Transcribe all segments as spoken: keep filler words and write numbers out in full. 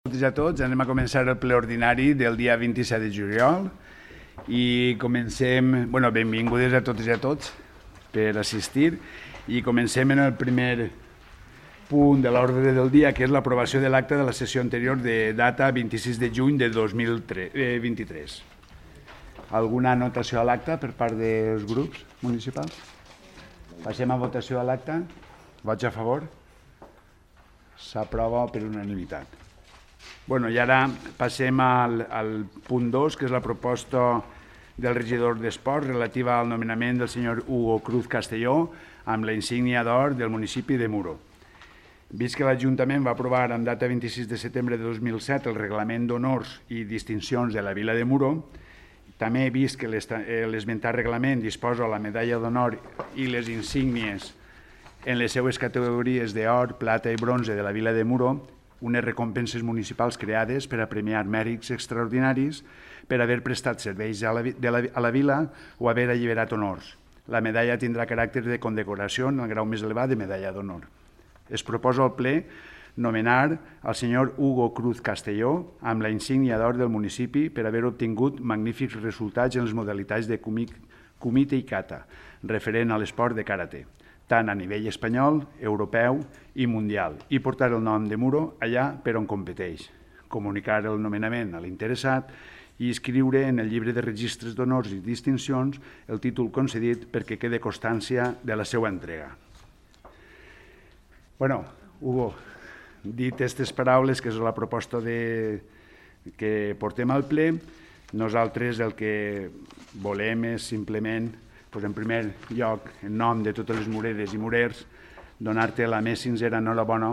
Tots a tots, anem a començar el ple ordinari del dia vint-i-set de juliol i comencem, bueno, benvingudes a totes i a tots per assistir i comencem en el primer punt de l'ordre del dia, que és l'aprovació de l'acte de la sessió anterior de data vint-i-sis de juny de dos mil vint-i-tres. Alguna anotació a l'acte per part dels grups municipals? Passem a votació a l'acte. Vots a favor? S'aprova per unanimitat. Bueno, i ara passem al, al punt dos, que és la proposta del regidor d'Esports relativa al nomenament del senyor Hugo Cruz Castelló amb la insígnia d'or del municipi de Muro. Vist que l'Ajuntament va aprovar en data vint-i-sis de setembre de dos mil set el reglament d'honors i distincions de la vila de Muro, també he vist que l'esmentat reglament disposa la medalla d'honor i les insígnies en les seues categories d'or, plata i bronze de la vila de Muro, unes recompenses municipals creades per a premiar mèrits extraordinaris per haver prestat serveis a la, de la, a la vila o haver alliberat honors. La medalla tindrà caràcter de condecoració en el grau més elevat de medalla d'honor. Es proposa al ple nomenar al senyor Hugo Cruz Castelló amb la insígnia d'or del municipi per haver obtingut magnífics resultats en les modalitats de kumite i kata, referent a l'esport de karate, tant a nivell espanyol, europeu i mundial, i portar el nom de Muro allà per on competeix, comunicar el nomenament a l'interessat i inscriure en el llibre de registres d'honors i distincions el títol concedit perquè quede constància de la seva entrega. Bueno, Hugo, dit aquestes paraules, que és la proposta de... que portem al ple, nosaltres el que volem és simplement, pues en primer lloc, en nom de totes les mureres i murers, donar-te la més sincera enhorabona,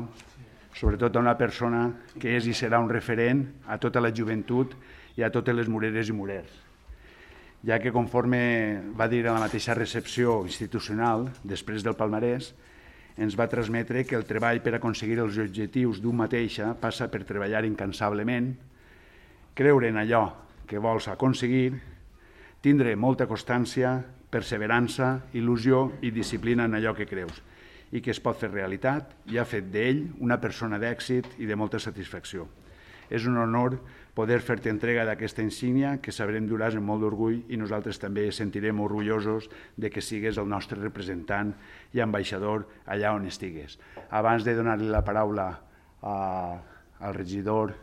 sobretot a una persona que és i serà un referent a tota la joventut i a totes les mureres i murers. Ja que conforme va dir a la mateixa recepció institucional, després del palmarès, ens va transmetre que el treball per aconseguir els objectius d'un mateixa passa per treballar incansablement, creure en allò que vols aconseguir, tindre molta constància, perseverança, il·lusió i disciplina en allò que creus i que es pot fer realitat i ha fet d'ell una persona d'èxit i de molta satisfacció. És un honor poder fer-te entrega d'aquesta insígnia que sabrem duràs amb molt d'orgull i nosaltres també sentirem orgullosos de que sigues el nostre representant i ambaixador allà on estigues. Abans de donar-li la paraula a, al regidor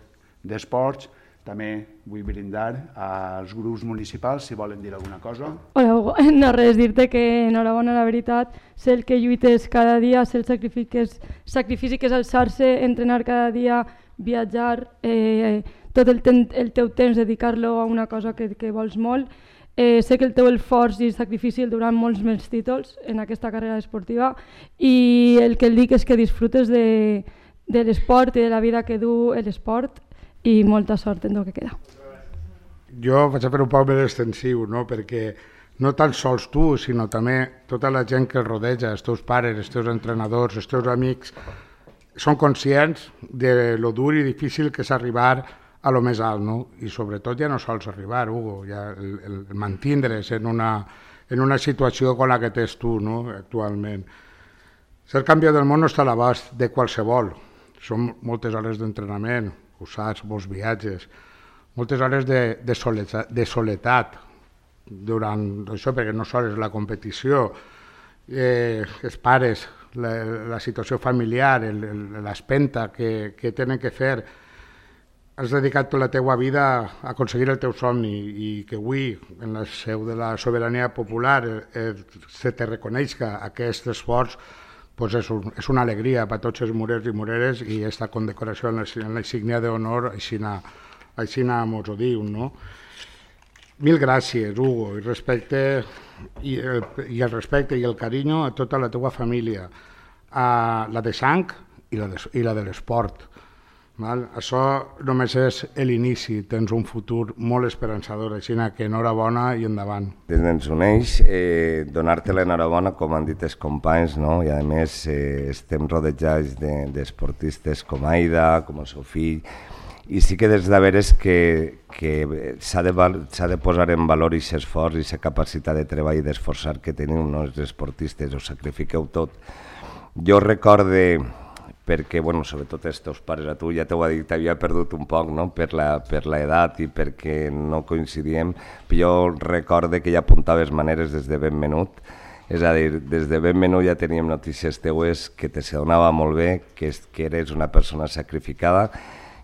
d'Esports, també vull brindar als grups municipals, si volen dir alguna cosa. Hola, Hugo. No, res, dir-te que enhorabona, la veritat, sé el que lluites cada dia, sé el sacrifici que és alçar-se, entrenar cada dia, viatjar, eh, tot el, ten, el teu temps dedicar-lo a una cosa que, que vols molt. Eh, sé que el teu esforç i sacrifici el duran molts més títols en aquesta carrera esportiva i el que el dic és que disfrutes de, de l'esport i de la vida que du l'esport i molta sort en el que queda. Jo vaig a fer un poc més extensiu, no? Perquè no tan sols tu, sinó també tota la gent que el rodeja, els teus pares, els teus entrenadors, els teus amics, són conscients de lo dur i difícil que és arribar a lo més alt, no? I sobretot ja no sols arribar, Hugo, ja el, el mantindre's en una, en una situació com la que tens tu, no? Actualment. Ser campió del món no està a l'abast de qualsevol, són moltes hores d'entrenament, ho saps, molts viatges, moltes hores de, de, soledat, de soledat durant això, perquè no sols és la competició, eh, els pares, la, la situació familiar, l'espenta que, que tenen que fer. Has dedicat tota la teua vida a aconseguir el teu somni i que avui, en la seu de la sobirania popular, eh, se te reconeix que aquest esforç pues és, un, és una alegria per tots els murers i mureres i aquesta condecoració en la, en la insígnia d'honor, així mos ho diu, no? Mil gràcies, Hugo, i, respecte, i, el, i el respecte i el carinyo a tota la teua família, a la de sang i la de, i la de l'esport. Val? Això només és l'inici, tens un futur molt esperançador, així que enhorabona i endavant. Ens uneix eh, donar-te l'enhorabona, com han dit els companys, no? I a més eh, estem rodejats d'esportistes de, com Aida, com el seu fill, i sí que des de veres que, que s'ha de, de posar en valor aquest esforç i aquesta capacitat de treball i d'esforçar que teniu, no? Els esportistes, us sacrifiqueu tot. Jo recorde perquè, bueno, sobretot els teus pares, a tu ja t'ho ha dit, t'havia perdut un poc, no?, per la, per l'edat i perquè no coincidíem, però jo recorde que ja apuntaves maneres des de ben menut, és a dir, des de ben menut ja teníem notícies teues que te se donava molt bé, que, és, que eres una persona sacrificada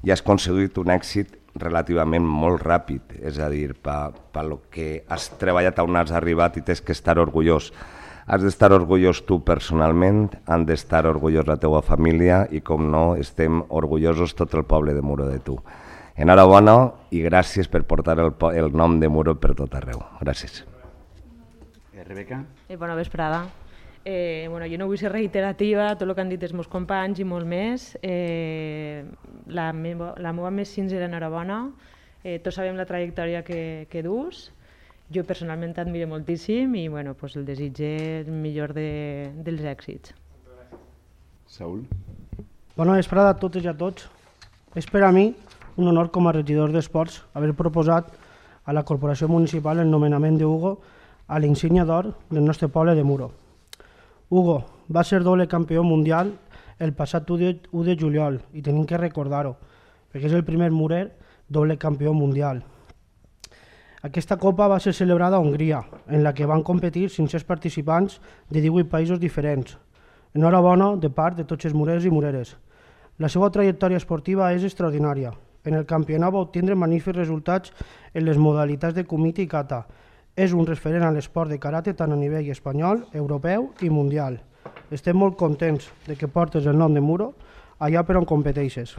i has aconseguit un èxit relativament molt ràpid, és a dir, per pa lo que has treballat on has arribat i tens que estar orgullós. Has d'estar orgullós tu personalment, han d'estar orgullós la teua família i, com no, estem orgullosos tot el poble de Muro de tu. Enhorabona i gràcies per portar el, el nom de Muro per tot arreu. Gràcies. Eh, Rebeca? Eh, bona vesprada. Eh, bueno, jo no vull ser reiterativa, tot el que han dit els meus companys i molt més. Eh, la, meva, la meva més sincera enhorabona. Eh, tots sabem la trajectòria que, que dus. Jo personalment t'admiro moltíssim i bueno, pues el desitge el millor de, dels èxits. Saúl? Bona vesprada a totes i a tots. És per a mi un honor com a regidor d'Esports haver proposat a la Corporació Municipal el nomenament d'Hugo a l'insígnia d'or del nostre poble de Muro. Hugo va ser doble campió mundial el passat u de juliol i tenim que recordar-ho, perquè és el primer murer doble campió mundial. Aquesta copa va ser celebrada a Hongria, en la que van competir cinc-cents participants de divuit països diferents. Enhorabona de part de tots els murers i mureres. La seva trajectòria esportiva és extraordinària. En el campionat va obtindre magnífics resultats en les modalitats de kumite i kata. És un referent a l'esport de karate tant a nivell espanyol, europeu i mundial. Estem molt contents de que portes el nom de Muro allà per on competeixes.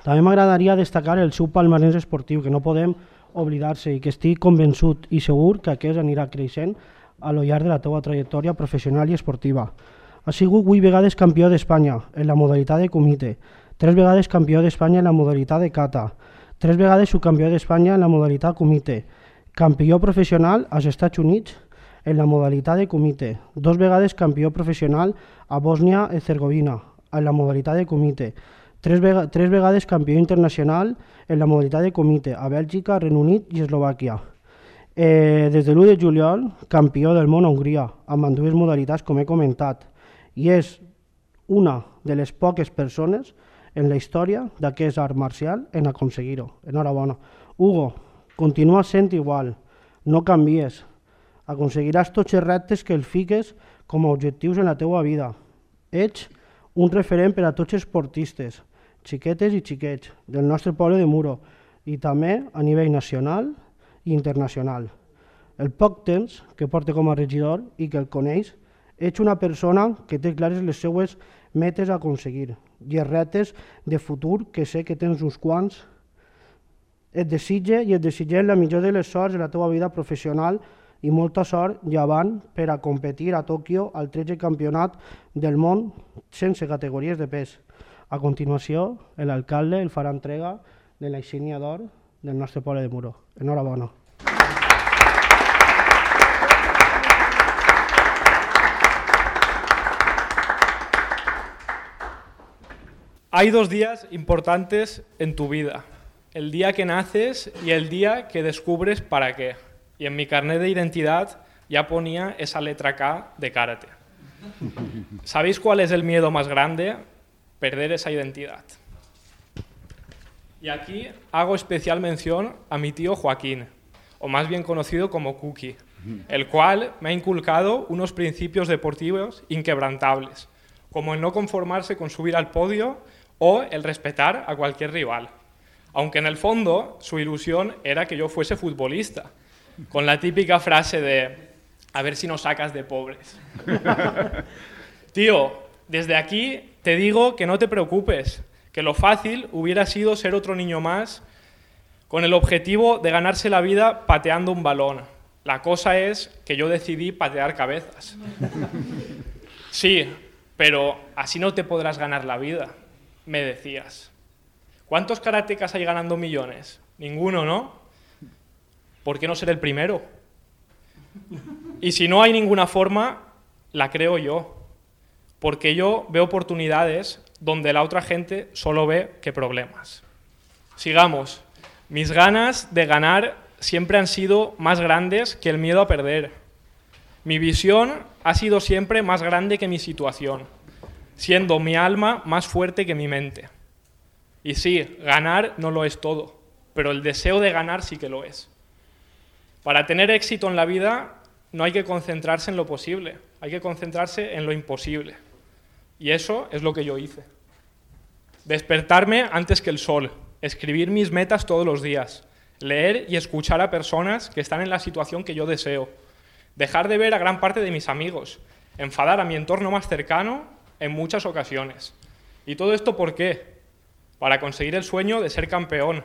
També m'agradaria destacar el seu palmarès esportiu, que no podem oblidar-se i que estic convençut i segur que aquest anirà creixent a lo llarg de la teva trajectòria professional i esportiva. Ha sigut vuit vegades campió d'Espanya en la modalitat de kumite, tres vegades campió d'Espanya en la modalitat de kata, tres vegades subcampió d'Espanya en la modalitat kumite, campió professional als Estats Units en la modalitat de kumite, dos vegades campió professional a Bòsnia-Hercegovina en la modalitat de kumite, tres, vega, tres vegades campió internacional en la modalitat de kumite a Bèlgica, Regne Unit i Eslovàquia. Eh, des de l'u de juliol, campió del món a Hongria, amb ambdues modalitats, com he comentat, i és una de les poques persones en la història d'aquest art marcial en aconseguir-ho. Enhorabona. Hugo, continua sent igual, no canvies. Aconseguiràs tots els reptes que el fiques com a objectius en la teua vida. Ets un referent per a tots els esportistes, xiquetes i xiquets del nostre poble de Muro i també a nivell nacional i internacional. El poc temps que porta com a regidor i que el coneix, ets una persona que té clares les seues metes a aconseguir i els reptes de futur que sé que tens uns quants. Et desitge i et desitgem la millor de les sorts de la teva vida professional i molta sort llevant per a competir a Tòquio al tretze Campionat del món sense categories de pes. A continuació, l'alcalde el farà entrega de la insígnia d'or del nostre poble de Muro. Enhorabona. Hay dos días importantes en tu vida, el día que naces y el día que descubres para qué. Y en mi carnet de identidad ya ponía esa letra K de karate. ¿Sabéis cuál es el miedo más grande? Perder esa identidad. Y aquí hago especial mención a mi tío Joaquín, o más bien conocido como Cookie, el cual me ha inculcado unos principios deportivos inquebrantables, como el no conformarse con subir al podio o el respetar a cualquier rival. Aunque en el fondo su ilusión era que yo fuese futbolista, con la típica frase de a ver si nos sacas de pobres. Tío, desde aquí te digo que no te preocupes, que lo fácil hubiera sido ser otro niño más con el objetivo de ganarse la vida pateando un balón. La cosa es que yo decidí patear cabezas. Sí, pero así no te podrás ganar la vida, me decías. ¿Cuántos karatecas hay ganando millones? Ninguno, ¿no? ¿Por qué no ser el primero? Y si no hay ninguna forma, la creo yo. Porque yo veo oportunidades donde la otra gente solo ve que problemas. Sigamos. Mis ganas de ganar siempre han sido más grandes que el miedo a perder. Mi visión ha sido siempre más grande que mi situación. siendo mi alma más fuerte que mi mente. Y sí, ganar no lo es todo, pero el deseo de ganar sí que lo es. Para tener éxito en la vida no hay que concentrarse en lo posible, hay que concentrarse en lo imposible. Y eso es lo que yo hice. Despertarme antes que el sol, escribir mis metas todos los días, leer y escuchar a personas que están en la situación que yo deseo, dejar de ver a gran parte de mis amigos, enfadar a mi entorno más cercano en muchas ocasiones. ¿Y todo esto por qué? Para conseguir el sueño de ser campeón,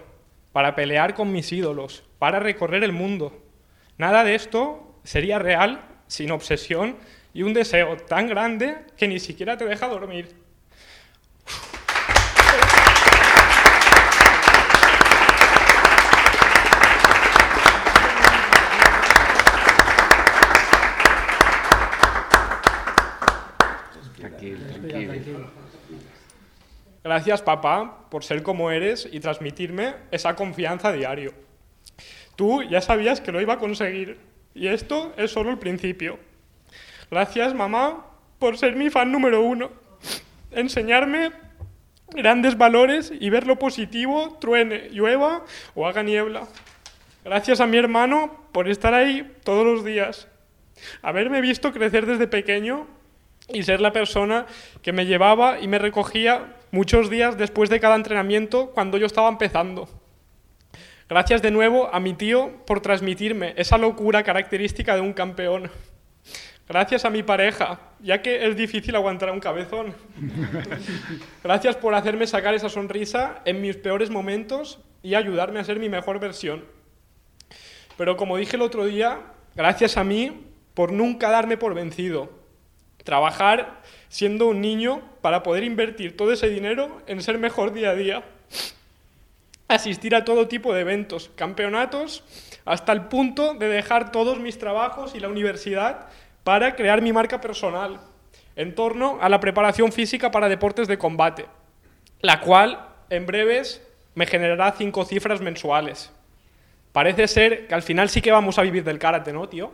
para pelear con mis ídolos, para recorrer el mundo. Nada de esto sería real sin obsesión y un deseo tan grande que ni siquiera te deja dormir. Gracias, papá, por ser como eres y transmitirme esa confianza a diario. Tú ya sabías que lo iba a conseguir, y esto es solo el principio. Gracias, mamá, por ser mi fan número uno, enseñarme grandes valores y ver lo positivo, truene, llueva o haga niebla. Gracias a mi hermano por estar ahí todos los días, haberme visto crecer desde pequeño y ser la persona que me llevaba y me recogía muchos días después de cada entrenamiento cuando yo estaba empezando. Gracias de nuevo a mi tío por transmitirme esa locura característica de un campeón. Gracias a mi pareja, ya que es difícil aguantar a un cabezón. Gracias por hacerme sacar esa sonrisa en mis peores momentos y ayudarme a ser mi mejor versión. Pero como dije el otro día, gracias a mí por nunca darme por vencido. Trabajar siendo un niño para poder invertir todo ese dinero en ser mejor día a día. Asistir a todo tipo de eventos, campeonatos, hasta el punto de dejar todos mis trabajos y la universidad para crear mi marca personal en torno a la preparación física para deportes de combate, la cual en breves me generará cinco cifras mensuales. Parece ser que al final sí que vamos a vivir del karate, ¿no, tío?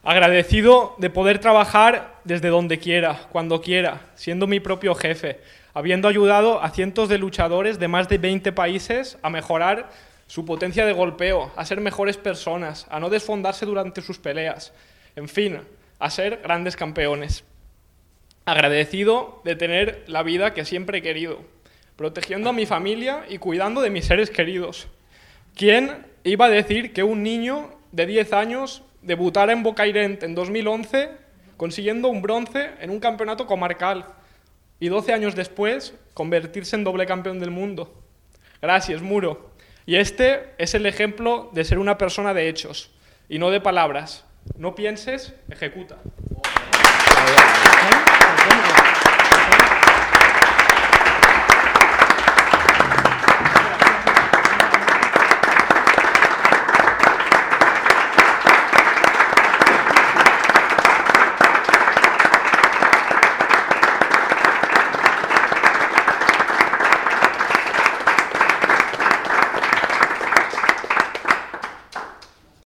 Agradecido de poder trabajar desde donde quiera, cuando quiera, siendo mi propio jefe, habiendo ayudado a cientos de luchadores de más de veinte países a mejorar su potencia de golpeo, a ser mejores personas, a no desfondarse durante sus peleas, en fin, a ser grandes campeones. Agradecido de tener la vida que siempre he querido, protegiendo a mi familia y cuidando de mis seres queridos. ¿Quién iba a decir que un niño de diez años debutara en Bocairent en dos mil once, consiguiendo un bronce en un campeonato comarcal y doce años después convertirse en doble campeón del mundo? Gracias, Muro. Y este es el ejemplo de ser una persona de hechos y no de palabras. No pienses, ejecuta.